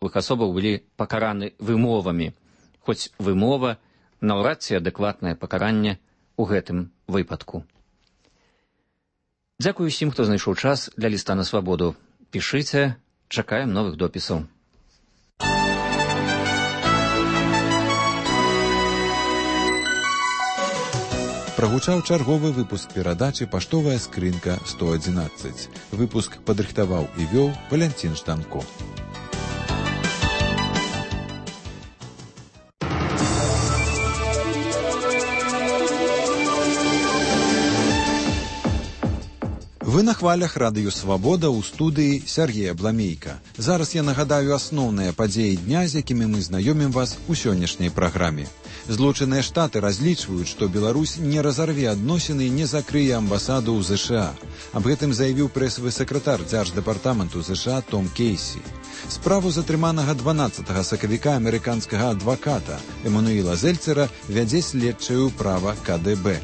фізічных асобаў былі пакараны вымовамі, хоць вымова наўрад ці адэкватнае пакаранне ў гэтым выпадку. Дзякую усім, хто знайшоў час для ліста на свабоду. Пішыце, чакаем новых допісаў. Прагучаў чарговы выпуск перадачы «Паштовая скрынка 111». Выпуск падрыхтаваў і вёў Валянцін Жданко. Вы на хвалях радыё «Свабода» ў студыі Сергея Бламейка. Зараз я нагадаю асноўныя падзеі дня, з якімі мы знаёмім вас у сённяшняй праграме. Злучаныя Штаты разлічваюць, што Беларусь не разарве адносіны і не закрые амбасаду ў ЗША. Аб гэтым заявіў прэсавы сакратар дзярждэпартаменту ЗША Том Кейсі. Справу затрыманага 12 сакавіка амерыканскага адваката Эмануіла Зельцера вядзе следчае ўправа КДБ.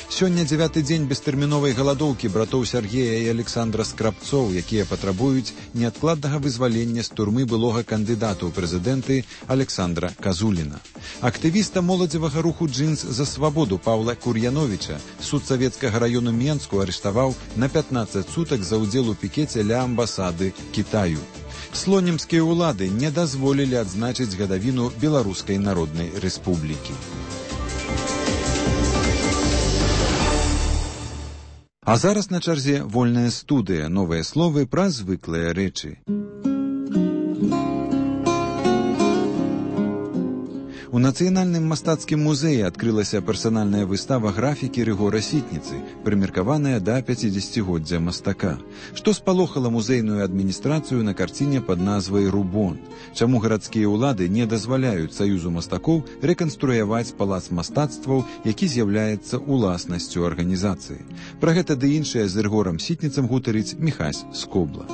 Сёння 9-й дзень бестэрміновай галадоўкі братоў Сергея і Александра Скрабцоў, якія патрабуюць неадкладнага вызвалення з турмы былога кандыдата ў прэзідэнты Александра Казуліна. Актывіста моладзевага руху «Джинс за свабоду» Паўла Кур'яновіча суд савецкага раёну Менску арыштаваў на 15 сутак за ўдзел у пікеце ля амбасады Кітаю. Слонімскія ўлады не дазволілі адзначыць гадавіну Беларускай Народнай Рэспублікі. А зараз на чарзе вольная студыя, новыя словы пра звыклыя рэчы. У Нацыянальным мастацкім музеі адкрылася персанальная выстава графікі Рыгора Сітніцы, прымеркаваная да 50-годдзя мастака. Што спалохала музейную адміністрацыю на карціне пад назвай «Рубон». Чаму гарадскія ўлады не дазваляюць Саюзу мастакоў рэканструяваць палац мастацтваў, які з'яўляецца уласнасцю арганізацыі. Пра гэта ды іншае з Рыгорам Сітніцам гутарыць Міхась Скобла.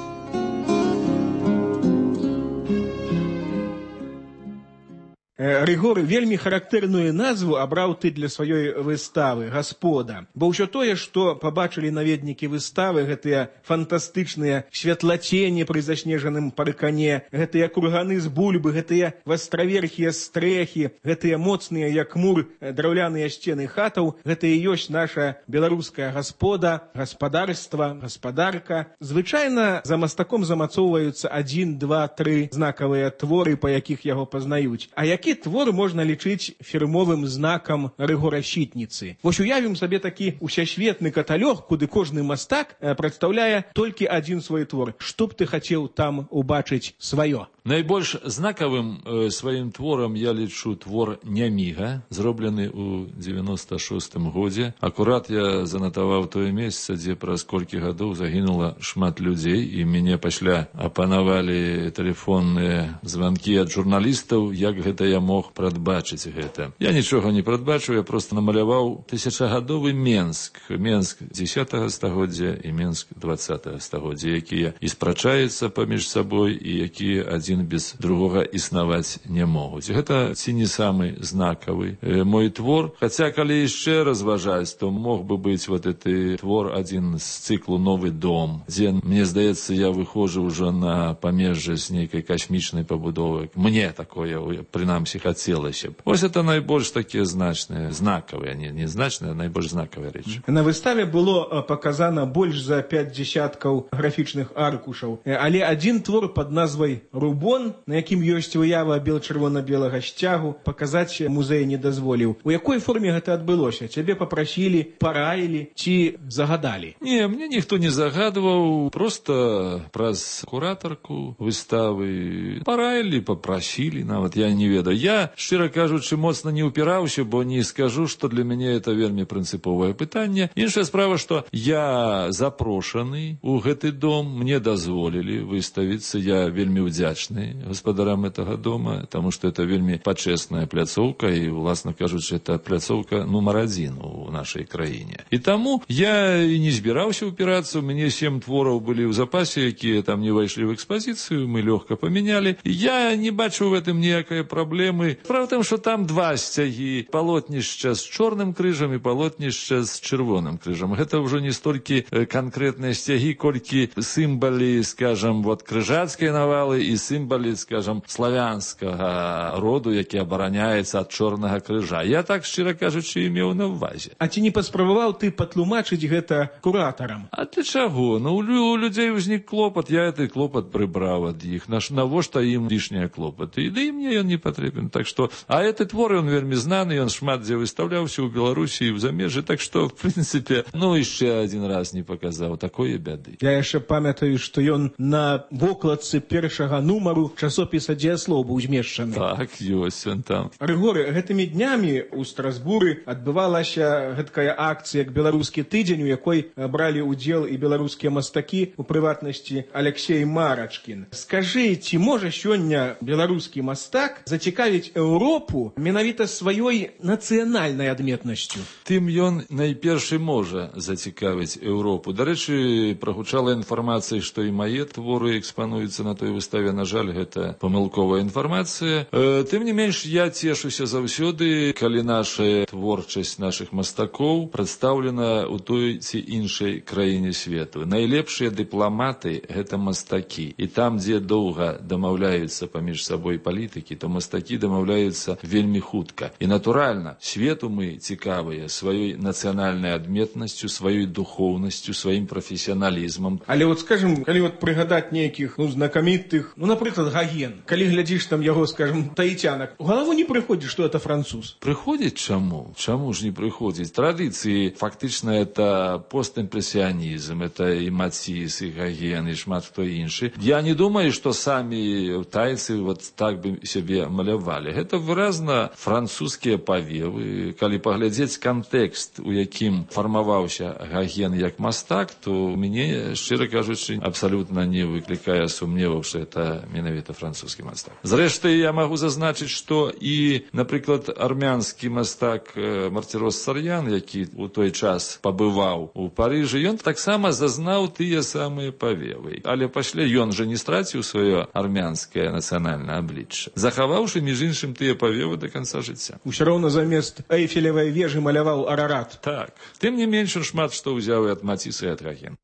Рыгор вельмі характэрную назву абраў ты для сваёй выставы «Гаспода». Бо ўсё тое, што пабачылі наведнікі выставы, гэтыя фантастычныя святлацені пры заснежаным паркане, гэтыя курганы з бульбы, гэтыя вастраверхія стрэхі, гэтыя моцныя, як мур, драўляныя сцены хатаў, гэта і ёсць наша беларуская гаспода, гаспадарства, гаспадарка. Звычайна за мастаком замацоўваюцца 1, 2, 3 знакавыя творы, па якіх яго пазнаюць. А які твор можна лічыць фірмовым знакам Рыгора Сітніцы? Вось уявім сабе такі усесветны каталог, куды кожны мастак прадстаўляе толькі адзін свой твор. Што б ты хацеў там убачыць сваё? Найбольш знакавым сваім творам я лічу твор «Няміга», зроблены ў 96-м годзе. Акурат я занатаваў тое месца, дзе праз колькі гадоў загінула шмат людзей, і мяне пасля апанавалі тэлефонныя званкі ад журналістаў, як гэта я мог прадбачыць гэта. Я нічога не прадбачыў, я проста намаляваў тысячагадовы Менск. Менск 10-го стагоддзя і Менск 20-го стагоддзя, якія і спрачаюцца паміж сабой, і якія адзін без другога існаваць не могуць. Гэта ці не самы знакавы мой твор. Хаця, калі яшчэ разважаць, то мог бы быць вот гэты твор адзін з цыклу «Новы дом», дзе, мне здаецца, я выходжу ўжо на памежжа з нейкай касмічнай пабудовы. Мне такое, прынамсі, хацелася б. Вось это найбольш такія значныя, знакавыя, не значныя, а найбольш знакавыя рэчы. На выставе было паказана больш за 5 дзесяткаў графічных аркушаў, але адзін твор пад назвай «Рубон», на якім ёсць выява бел-чырвона-белага сцягу, паказаць музей не дазволіў. У якой форме гэта адбылося? Цябе папрасілі, параілі ці загадалі? Не, мне ніхто не загадваў, проста праз куратарку выставы параілі, папрасілі, нават я не ведаю. Я, шчыра кажучы, моцна не ўпіраўся, бо не скажу, што для мяне это вельмі прынцыповае пытанне. Іншая справа, што я запрошаны ў гэты дом, мне дазволілі выставіцца, я вельмі удзячны гаспадарам этого дома, таму што это вельмі пачэсная пляцоўка, і, уласна кажучы, это пляцоўка нумар 1 у нашай краіне. І таму я і не збіраўся ўпірацца, у мяне 7 твораў былі ў запасе, якія там не ўвайшлі ў экспазіцыю, мы лёгка памянялі. Я не бачу ў гэтым ніякай праблемы. праблемы. Справа в тым, што там два сцягі, палотнішча з чорным крыжам і палотнішча з чырвоным крыжам. Гэта ўжо не столькі канкрэтныя сцягі, колькі сімвалы, скажам, вот крыжацкай навалы і сімвалы, скажам, славянскага роду, які абараняецца ад чорнага крыжа. Я так, шчыра кажучы, меў на ўвазе. А ці не паспрабаваў ты патлумачыць гэта куратарам? А для чаго? Ну, у людзей узнік клопат, я гэты клопат прыбраў ад іх. Навошта ім лішнія клопаты? І да і мне ён не патрэбен. Так што, а гэты твор, ён вельмі знаны, ён шмат дзе выстаўляўся ў Беларусі і ў замежжы, так што, в прынцыпе, ну, яшчэ адзін раз не паказаў такое бяды. Я яшчэ памятаю, што ён на вокладцы першага нумару часопіса «Дзеяслоў» быў змешчаны. Так, ёсць ён там. Рыгоры, гэтымі днямі ў Страсбуры адбывалася гэткая акцыя як беларускі тыдзень, у якой бралі ўдзел і беларускія мастакі, у прыватнасці Алексей Марачкін. Скажы, ці можа сёння беларускі мастак зацікавіць Еўропу менавіта сваёй нацыянальнай адметнасцю? Тым ён найперш можа зацікавіць Еўропу. Дарэчы, прагучала інфармацыя, што і мае творы экспануюцца на той выставе. На жаль, гэта памылковая інфармацыя. Тым не менш, я цешуся заўсёды, калі наша творчасць нашых мастакоў прадстаўлена ў той ці іншай краіне свету. Найлепшыя дыпламаты — гэта мастакі. І там, дзе доўга дамаўляюцца паміж сабой палітыкі, то мастакі дамаўляюцца вельмі хутка. І, натуральна, свету мы цікавыя сваёй нацыянальнай адметнасцю, сваёй духоўнасцю, сваім прафесіяналізмам. Але вот, скажем, калі вот прыгадаць нейкіх, знакамітых, напрыклад, Гоген, калі глядзіш там яго, скажем, таітянак, у галаву не прыходзіць, што это француз? Прыходзіць чаму? Чаму ж не прыходзіць? Традыцыі, фактычна, это постімпрэсіянізм, это і Маціс, і Гоген, і шмат хто іншы. Я не думаю, што самі тайцы вот так бы сябе малявалі. Гэта выразна французскія павевы. Калі паглядзець кантэкст, у якім фармаваўся Гоген як мастак, то мяне, шчыра кажучы, абсалютна не выклікае сумневаў, што это менавіта французскі мастак. Зрэшты, я магу зазначыць, што і, напрыклад, армянскі мастак Мартирос Сарьян, які у той час пабываў у Парыжы, ён таксама зазнаў тыя самыя павевы. Але пасля ён жа не страціў сваё армянскае нацыянальнае аблічча, захаваўшы, між іншым, тыя павевы да канца жыцця. Усё роўна замест Эйфелевай вежы маляваў Арарат. Так. Тым не менш, он шмат што ўзяў і ад Маціса, і ад Гогена.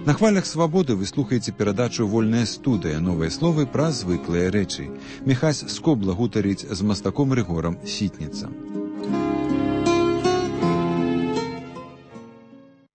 На хвалях свабоды вы слухаеце перадачу «Вольная студыя», новыя словы пра звыклыя рэчы. Міхась Скобла гутарыць з мастаком Рыгорам Сітніцам.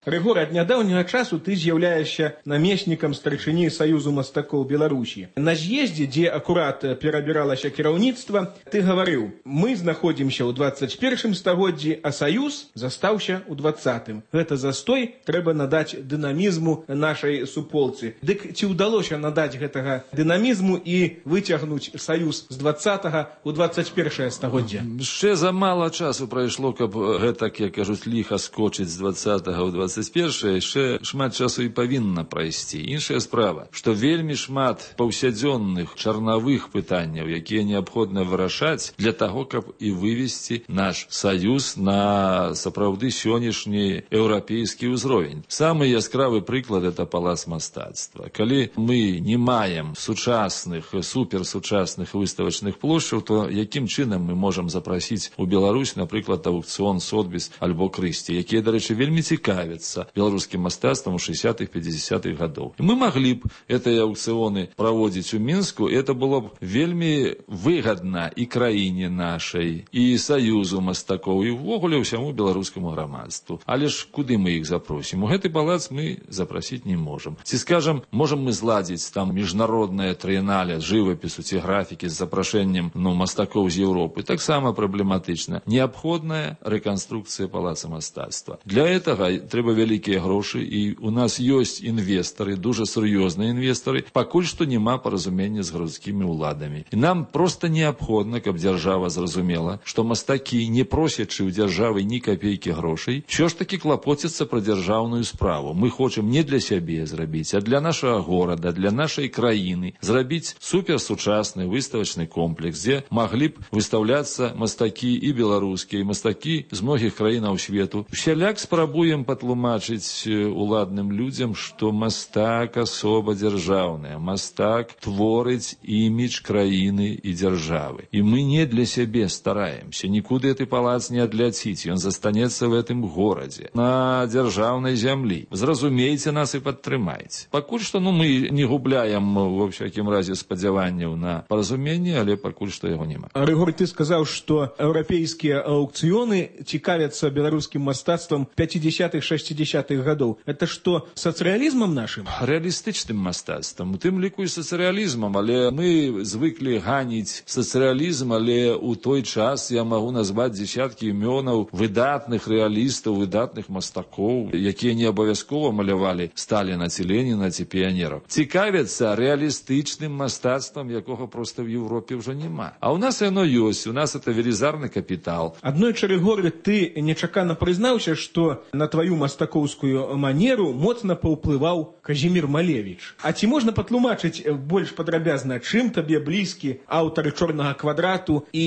Рыгор, ад нядаўняга часу ты з'яўляешся намеснікам старшыні Саюзу мастакоў Беларусі. На з'ездзе, дзе акурат перабіралася кіраўніцтва, ты гаварыў: мы знаходзімся ў 21 стагоддзі, а Саюз застаўся ў 20-м. Гэта застой трэба надаць дынамізму нашай суполцы. Дык ці ўдалося надаць гэтага дынамізму і выцягнуць Саюз з 20-го ў 21 стагоддзя? Яшчэ замала часу прайшло, каб гэтак, як кажуць, ліха скочыць з 20-го ў 21-е, яшчэ шмат часу і павінна прайсці. Іншая справа, што вельмі шмат паўсядзённых чарнавых пытанняў, якія неабходна вырашаць для таго, каб і вывесці наш Саюз на сапраўды сённяшні еўрапейскі ўзровень. Самы яскравы прыклад — это палац мастацтва. Калі мы не маем сучасных, суперсучасных выставачных плошчаў, то якім чынам мы можам запрасіць у Беларусь, напрыклад, аукцыён Сотбіс альбо Крысці, якія, дарэчы, вельмі цікавяцца беларускім мастацтвам у 60-х, 50-х гадоў. Мы маглі б гэтыя аукцыёны праводзіць у Мінску, і это было б вельмі выгадна і краіне нашай, і Саюзу мастакоў, і ўвогуле ўсяму беларускаму грамадству. Але ж куды мы іх запросім? У гэты палац мы запрасіць не можам. Ці, скажам, можам мы зладзіць там міжнароднае трыенале жывапісу ці графікі з запрашэннем мастакоў з Еўропы? Таксама праблематычна. Неабходная рэканструкцыя палаца мастацтва. Для гэтага трэба вялікія грошы, і у нас ёсць інвестары, дужа сур'ёзныя інвестары. Пакуль што няма паразумення з гарадскімі ўладамі. І нам проста неабходна, каб дзяржава зразумела, што мастакі, не просячы ў дзяржавы ні капейкі грошай, ўсё ж такі клапоцяцца пра дзяржаўную справу. Мы хочам не для сябе зрабіць, а для нашага горада, для нашай краіны зрабіць суперсучасны выставачны комплекс, дзе маглі б выстаўляцца мастакі і беларускія, і мастакі з многіх краінаў свету. Усяляк спрабуем патлумачыць патлумачыць уладным людзям, што мастак асоба дзяржаўная, мастак творыць імідж краіны і дзяржавы. І мы не для сябе стараемся, нікуды гэты палац не адляціць, ён застанецца в гэтым горадзе, на дзяржаўнай зямлі. Зразумейце нас і падтрымайце. Пакуль што мы не губляем, во всякім разе, спадзяванняў на паразуменне, але пакуль што яго няма. Рыгор, ты сказаў, што еўрапейскія аўкцыёны цікавяцца беларускім мастацтвам 50-х, 60-х гадоў. Это што, сацыялізмам нашым? Рэалістычным мастацтвам, у тым ліку і сацыялізмам, але мы звыклі ганіць сацыялізм, але ў той час я магу назваць дзесяткі імёнаў выдатных рэалістаў, выдатных мастакоў, якія не абавязкова малявалі Сталіна ці Леніна ці піянераў. Цікавяцца рэалістычным мастацтвам, якога проста в Европе ўжо няма. А ў нас яно ёсць, у нас это велізарны капітал. Аднойчы, Рыгор, ты нечакана прызнаўся, што на тваю мастакоўскую манеру моцна паўплываў Казімір Малевіч. А ці можна патлумачыць больш падрабязна, чым табе блізкі аўтар «Чорнага квадрату» і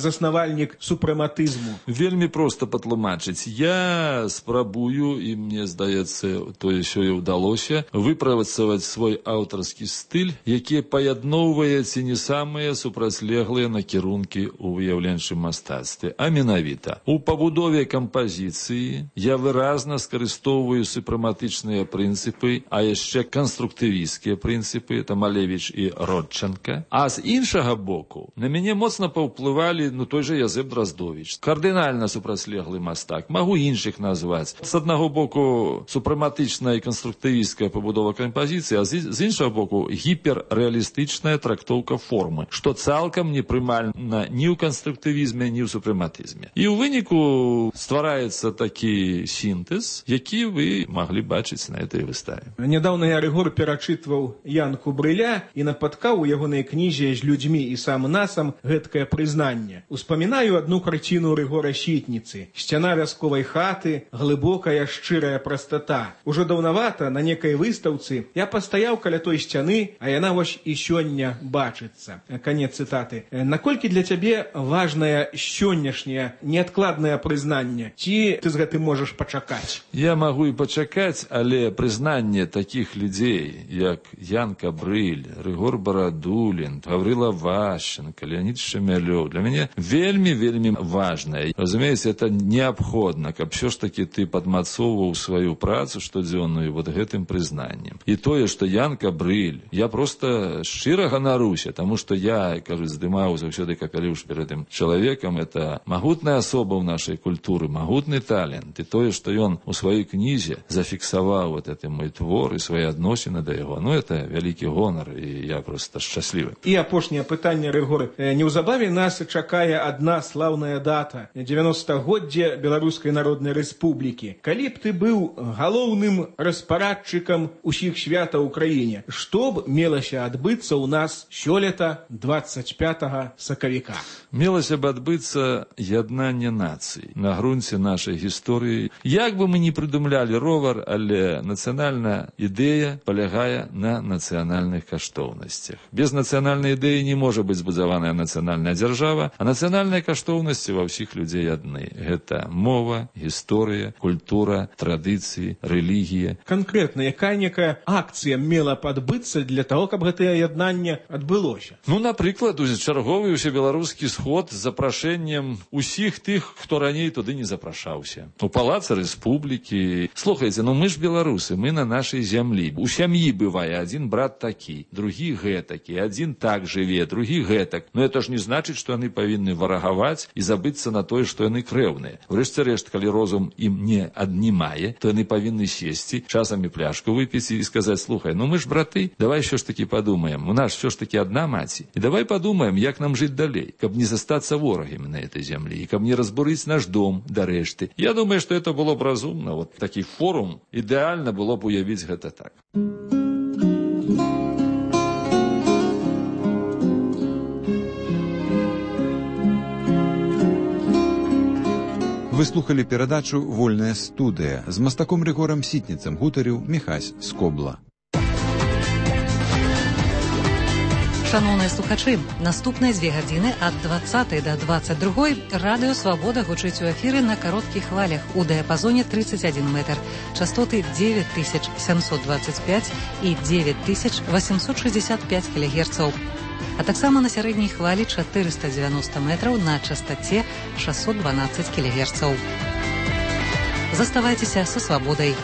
заснавальнік супрэматызму? Вельмі проста патлумачыць. Я спрабую, і мне здаецца, тое сёе ўдалося, выпрацаваць свой аўтарскі стыль, які паядноўвае ці не самыя супрацьлеглыя накірункі ў выяўленчым мастацтве. А менавіта, у пабудове кампазіцыі я выразна скарыстоўваю супрэматычныя прынцыпы, а яшчэ канструктывісцкія прынцыпы, это Малевіч і Родченка. А з іншага боку, на мяне моцна паўплывалі той же Язэп Драздовіч. Кардынальна супрацьлеглы мастак. Магу іншых назваць. З аднаго боку, супрэматычная і канструктывісцкая пабудова кампазіцыі, а з іншага боку, гіперрэалістычная трактоўка формы, што цалкам не прымальна ні ў канструктывізме, ні ў супрэматызме. І ў выніку ствараецца такі сінтэз, які вы маглі бачыць на этой выставе. Нядаўна я, Рыгор, перачытваў Янку Брыля і напаткаў у ягонай кнізе «З людзьмі і сам насам» гэткае прызнанне. Успамінаю адну карціну Рыгора Сітніцы. Сцяна вясковай хаты, глыбокая шчырая прастата. Ужо даўнавата на некай выстаўцы я пастаяў каля той сцяны, а яна вось і сёння бачыцца. Канец цытаты. Наколькі для цябе важнае сённяшняе неадкладнае прызнанне? Ці ты з гэтым можаш пачакаць? Я магу і пачакаць, але прызнанне такіх людзей, як Янка Брыль, Рыгор Барадулін, Гаврыла Ващенко, Леонид Шемялёв, для мяне вельмі важнае. Разумееце, это неабходна, каб все ж таки ты падмацоўваў сваю працу штодзённую вот гэтым прызнаннем. І тое, што Янка Брыль, я просто шчыра ганаруся, таму што я, кажуць, здымаў заўсёды капялюш перад тым чалавекам, это магутная асоба ў нашай культуры, магутны талент. І тое, што ён у сваёй кнізе зафіксаваў вот это мой твор і свае адносіны да яго, это вялікі гонар, і я просто шчаслівы. І апошняе пытанне, Рыгор. Неўзабаве нас чакае адна слаўная дата — 90-годдзе Беларускай Народнай Рэспублікі. Калі б ты быў галоўным распарадчыкам усіх святаў у краіне, што б мелася адбыцца ў нас сёлета 25 сакавіка? Мелася б адбыцца яднанне нацый на грунце нашай гісторыі. Як бы мы не прыдумлялі ровар, але нацыянальная ідэя палягае на нацыянальных каштоўнасцях. Без нацыянальнай ідэі не можа быць збудаваная нацыянальная дзяржава, а нацыянальныя каштоўнасці ва ўсіх людзей адны. Гэта мова, гісторыя, культура, традыцыі, рэлігія. Канкрэтна, якая акцыя мела б адбыцца для таго, каб гэтае яднанне адбылося? Напрыклад, чарговы ўсебеларускі сход з запрашэннем усіх тых, хто раней туды не запрашаўся. У палацы Рэспублікі. Слухайце, мы ж беларусы, мы на нашай зямлі. У сям'і бывае адзін брат такі, другі гэтакі, адзін так жыве, другі гэтак. Это ж не значыць, што яны павінны варагаваць і забыцца на тое, што яны крэўныя. Врэшце рэшт, калі розум ім не аднімае, то яны павінны сесці, часамі пляшку выпіць і сказаць: слухай, мы ж браты, давай ўсё ж такі падумаем, у нас ўсё ж такі адна маці. І давай падумаем, як нам жыць далей, каб не застацца ворагамі на этой зямлі, і каб не разбурыць наш дом да рэшты. Я думаю, што это было б разумна. Вот такі форум ідэальна было б уявіць гэта так. Вы слухали перадачу «Вольная студыя». З мастаком Рыгорам Сітніцам гутарыў Міхась Скобла. Шановныя слухачы, наступныя 2 гадзіны ад 20 до 22 радыё «Свабода» гучыць у эфіры на кароткіх хвалях у дыяпазоне 31 метр, частоты 9725 і 9865 кГц, а таксама на сярэдняй хвалі 490 метраў на частаце 612 кГц. Заставайцеся са «Свабодай».